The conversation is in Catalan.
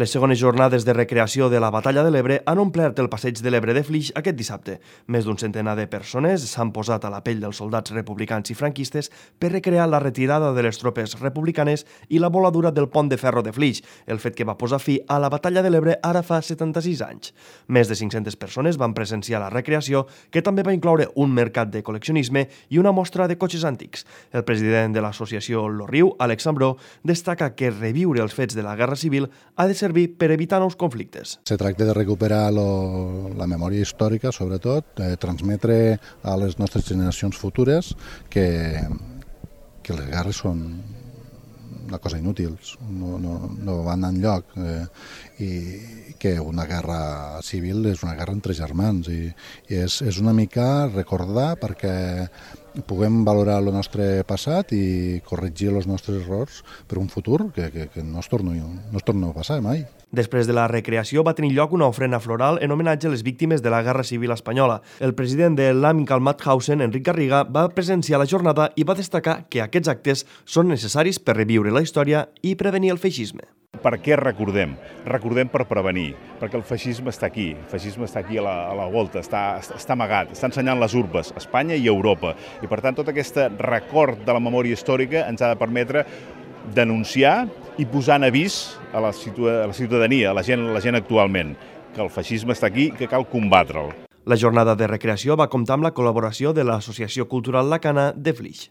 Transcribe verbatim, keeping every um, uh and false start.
Les segones jornades de recreació de la Batalla de l'Ebre han omplert el passeig de l'Ebre de Flix aquest dissabte. Més d'un centenar de persones s'han posat a la pell dels soldats republicans i franquistes per recrear la retirada de les tropes republicanes i la voladura del pont de ferro de Flix, el fet que va posar fi a la Batalla de l'Ebre ara fa setanta-sis anys. Més de cinc-centes persones van presenciar la recreació, que també va incloure un mercat de col·leccionisme i una mostra de cotxes antics. El president de l'associació Lo Riu, Àlex Ambró, destaca que reviure els fets de la Guerra Civil ha de servir per evitar nous conflictes. Se tracta de recuperar lo, la memòria històrica, sobretot, eh, transmetre a les nostres generacions futures que, que les guerres són una cosa inútil, no, no, no van enlloc, eh, i que una guerra civil és una guerra entre germans i, i és, és una mica recordar perquè puguem valorar el nostre passat i corregir els nostres errors per un futur que, que, que no, es torni, no es torni a passar mai. Després de la recreació va tenir lloc una ofrena floral en homenatge a les víctimes de la Guerra Civil Espanyola. El president de l'Amical Mauthausen, Enric Garriga, va presenciar la jornada i va destacar que aquests actes són necessaris per reviure la història i prevenir el feixisme. Per què recordem? Recordem per prevenir, perquè el feixisme està aquí, el feixisme està aquí a la, a la volta, està, està amagat, està ensenyant les urbes, Espanya i Europa. I per tant, tot aquest record de la memòria històrica ens ha de permetre denunciar i posar en avís a la, a la ciutadania, a la gent, a la gent actualment, que el feixisme està aquí i que cal combatre'l. La jornada de recreació va comptar amb la col·laboració de l'Associació Cultural Lacana de Flix.